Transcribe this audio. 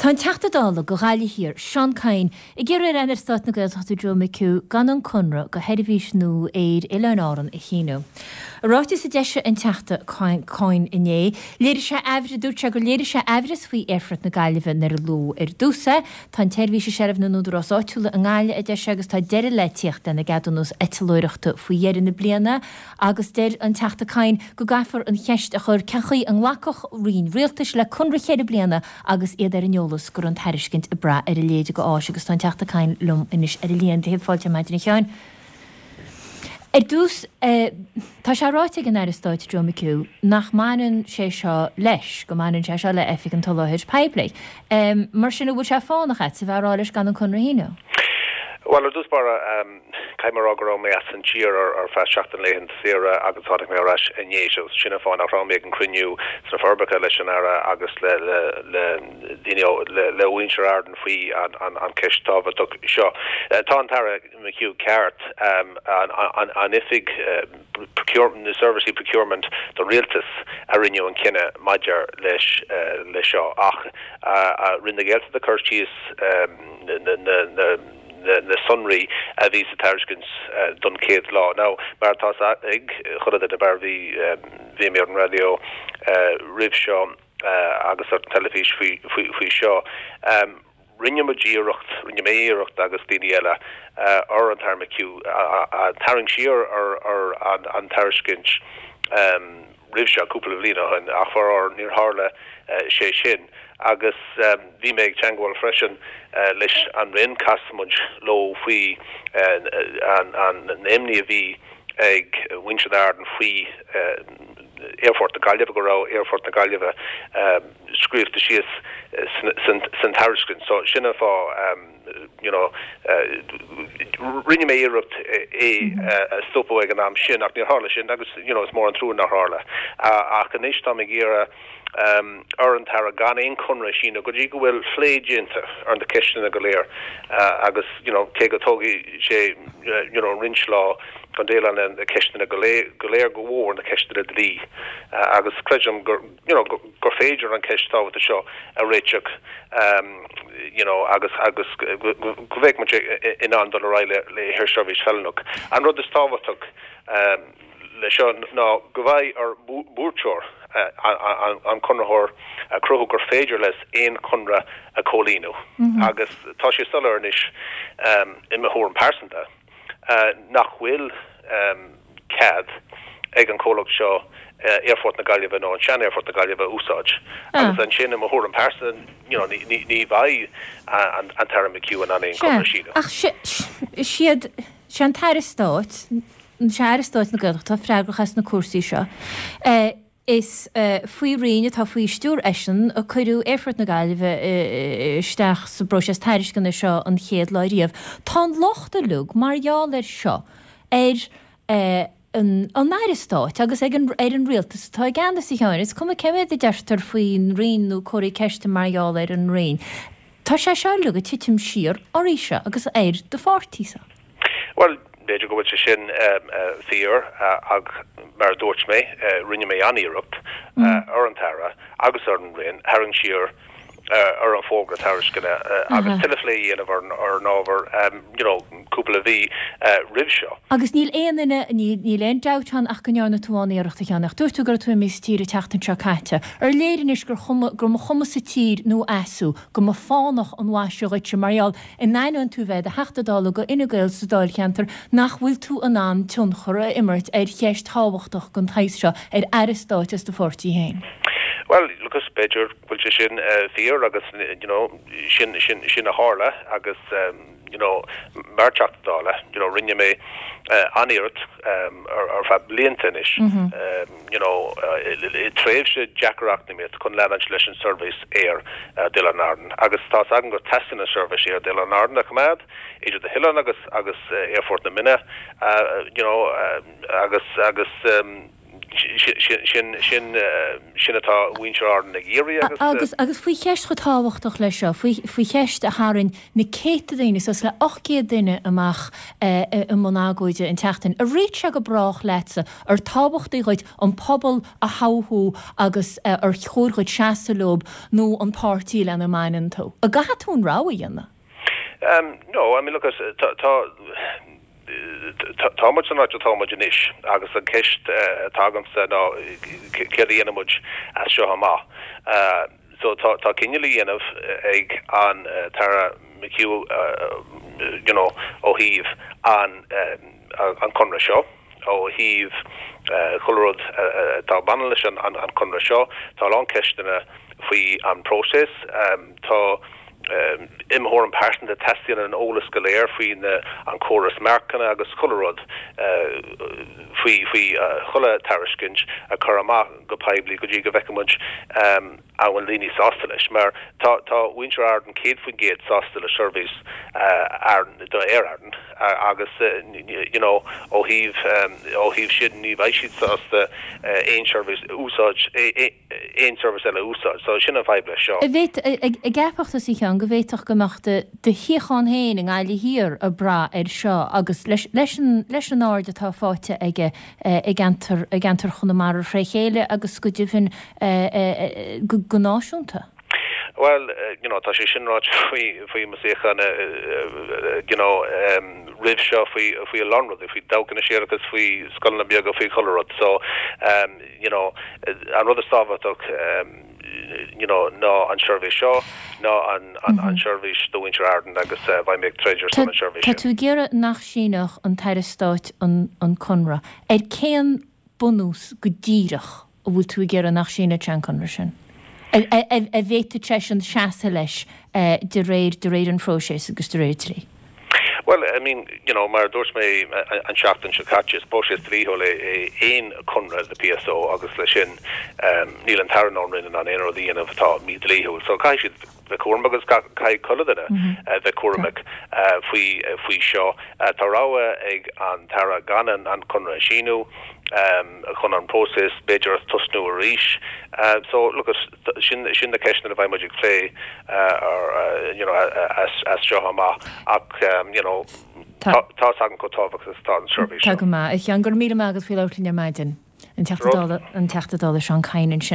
Tá an Teachta Dála do Ghaillimh Thiar, Seán Kyne, ag iarraidh ar Aire Stáit na Gaeltachta Joe McHugh gan an conradh do sheirbhís nua aeir Oileáin Árann a shíniú. I ráiteas a d'eisigh an Teachta Kyne inné, léirigh sé aimhreas, dúirt sé gur léirigh sé aimhreas faoi Aerfort na Gaillimhe nuair a luadh ar dtús é. Tá an tseirbhís i seilbh na n-údarás áitiúla i nGaillimh, a deir sé, agus tá deireadh le tíocht lena gceadúnas eitleoireachta faoi dheireadh na bliana. Agus deir an Teachta Kyne go gcaithfear an cheist a chur cén chaoi a nglacfadh roinn rialtais le conradh cheithre bliana agus iad ar an eolas go raibh an tairiscint ag brath ar a leithéid de áis agus tá an Teachta Kyne liom anois ar an líne. Céad fáilte ar maidin a Sheáin. Ar dtús, tá sé ráite ag an Aire Stáit Joe McHugh nach mbaineann sé seo leis, go mbaineann sé seo le Oifig an tSoláthair Poiblí. Mar sin, an bhfuil sé fánach agatsa a bheith ag rá leis gan an conradh a shíniú? Bhuel, ar dtús báire, Caithfidh mé a rá go raibh mé as an tír ar feadh seachtain laethanta saoire agus tháinig mé ar ais inné so sin an fáth nach raibh mé ag an cruinniú sna Forbacha leis an Aire agus le le daoine le le mhuintir Ardan faoi an an an ceist tábhachtach seo. Tá an tAire McHugh ceart an an an oifig procurement na seirbhísí procurement don rialtas a rinne an cinneadh maidir leis leis seo ach Roinn na Gaeltachta cur síos na na na na sonraí a bhí sa tairiscint don chéad lá. Now, mar atá a fhios ag chuile dhuine, mar bhí bhí mé ar an raidió roimh seo agus ar an teilifís faoi faoi faoi seo, rinne muid iarracht, rinne mé iarracht agus daoine eile ar an tAire McHugh tarraingt siar ar ar an an tairiscint roimh seo, cúpla bliain ó shin, ach faraor níor tharla sé sin. Agus bhí mé ag teangmháil freisin leis an Roinn, chas muid leo faoi an imní a bhí ag muintir Ardan faoi Aerfort na Gaillimhe, go raibh Aerfort na Gaillimhe scríofa síos san tairiscint. So sin an fáth. you know, rinne mé iarracht é a stopadh ag an am sin ach níor tharla sin agus, you know, is mór an trua nár tharla. Ach anois táim ag iarraidh ar an tAire gan aon chonradh a síniú go dtí go bhfuil plé déanta ar na ceisteanna go léir agus, you know, cé go dtógfaidh sé, you know, roinnt lá chun déileáil le na ceisteanna go léir, go léir go mhór na ceisteanna dlí agus creidim gur, you know, gur féidir an cheist tábhachtach seo a réiteach you know agus agus go mbeidh muid in ann dul ar aghaidh le haersheirbhís feiliúnach. An rud is tábhachtach le seo ná go mbeidh ar buaiteoir an conraitheoir a chruthú gur féidir leis aon chonradh a chomhlíonadh agus tá sé soiléir anois i mo thuairim pearsanta nach bhfuil cead ag an chomhlacht seo Aerfort na Gaillimhe nó an sean-Aerfort na Gaillimhe a úsáid. Agus ansin, i mo thuairim pearsanta, you know, ní bheidh an tAire McHugh in ann aon chonradh a síniú. Ach siad, sé an tAire Stáit, sé Aire Stáit na Gaeltachta atá freagrach as na cúrsaí seo. Is faoi roinn atá faoi stiúir eisean a cuireadh Aerfort na Gaillimhe isteach sa bpróiseas tairisceana seo an chéad lá riamh. Tá an locht uilig mar gheall air seo ar an Aire Stáit agus ag an ar an rialtas atá i gceannas, a Sheáin. Is cuma cé mhéad a deirtear faoin Roinn nó comharthaí ceiste mar gheall ar an Roinn. Tá sé seo uilig ag titim siar oraibhse agus ar do pháirtíse. Bhuel, b'fhéidir go bhfuil sé sin fíor ach mar a dúirt mé, rinne mé an-iarracht ar an tAire agus ar an Roinn tharraingt siar ar an bhfógra tairisceana agus tuilleadh plé a dhéanamh ar an ábhar you know cúpla mhí roimh seo. Agus níl aon duine, níl aon dabht ann ach go ndearna tú an-iarracht a Sheáin, ach dúirt tú go raibh tú imithe as tír an tseachtain seo caite. Ar léir anois gur chuma, gur mba chuma sa tír nó as thú, go mba fánach an mhaise dhuitse mar gheall In ainneoin tú bheith i do Theachta Dála go Fhine Gael sa Dáilcheantar, nach bhfuil tú in ann tionchar a imirt ar cheist thábhachtach den tsaghas seo ar Aire Stáit as do pháirtí féin? Bhuel, look, b'fhéidir go bhfuil sé sin fíor agus, you know, sin, sin, sin a tharla agus, you know, mar Theachta Dála, you know, rinne mé an-iarracht ar feadh blianta anois, you know, i tréimhse deacair eacnamaíocht chun leanúint leis an seirbhís aeir d'Oileáin Árann agus tá's agam go teastaíonn an seirbhís aeir d'Oileáin Árann a choimeád idir na hoileáin agus agus Aerfort na Minna, you know, agus agus. Sin, sin, sin atá muintir Árann ag iarraidh agus. Agus, agus faoi cheist chomh tábhachtach leis seo, faoi, faoi cheist a tharraing na céadta daoine, suas le 800 duine amach i mbun agóide an tseachtain, ar réitigh sé go brách leatsa, ar tábhachtaí dhuit an pobal a thoghadh agus ar chóir dhuit seasamh leob nó an páirtí lena mbaineann tú? An gcaithfidh tú an rogha a dhéanamh? No, I mean look, tá, tá, tá muid san áit atá muid anois agus an ceist atá agamsa ná céard a dhéanfaidh muid as seo amach. So tá, tá cinneadh le dhéanamh ag an tAire McHugh you know ó thaobh an, an conradh seo. Ó thaobh chuile rud atá ag baineann leis an conradh seo, tá a lán ceisteanna faoi an próiseas. Tá, i mo thuairim pearsanta, teastaíonn an eolas go léir faoi an córas marcanna agus chuile rud faoi faoi chuile tairiscint a chur amach go poiblí go dtí go bhfeicfidh muid an bhfuil daoine sásta leis? Mar tá tá muintir Árann 100% sásta le seirbhís Arann do Aer Arann agus you know ó thaobh ó thaobh sin ní bheidh siad sásta aon seirbhís a úsáid aon seirbhís eile a úsáid. So sin an fadhb leis seo. An bhféadfadh, an gceapfadh tusa a Sheáin go bhféadfadh go mbeadh do do shuíochán féin i nGaillimh Thiar ag brath air seo agus leis leis an leis an aird atá faighte aige i gceantar i gceantar Chonamara fré chéile agus go deimhin go náisiúnta. Bhuel, you know, tá sé sin ráite faoi faoi mo shuíochán you know roimh seo faoi faoi a lán rudaí, faoi todhchaí na séarachas, faoi scoileanna beaga, faoi chuile rud. So, you know, an rud is tábhachtach you know ná an seirbhís seo, ná an an seirbhís do mhuintir Árann agus beidh mé ag troid ar son an seirbhís Tá sin. tú ag iarraidh nach síneodh an tAire Stáit an an conradh. Ar cén bunús go díreach a bhfuil tú ag iarraidh nach síneodh sé an conradh sin? A bhféadfadh seisean seasamh leis de réir de réir an phróiseas agus de réir dlí? Bhuel, I mean, you know, mar a dúirt mé an seachtain seo caite, is próiseas dlíthiúil é aon conradh le PSO agus leis sin níl an tAire ná an Roinn in ann aon rud a dhéanamh atá mídhlíthiúil. So caithfidh siad bheith cúramach agus caithfidh chuile duine bheith cúramach faoi faoi seo. Tá rogha ag an tAire gan an conradh a síniú chun an próiseas b'fhéidir a tosnú arís. So look, sin sin na ceisteanna a bheidh muid ag plé you know as seo amach ach you know tá tá's agam chomh tábhachtach is atá an seirbhís seo. Tá go maith. A Sheáin, go raibh míle maith agat faoi labhairt linn ar maidin. An Teachta Dála, an Teachta Dála Seán Kyne ansin.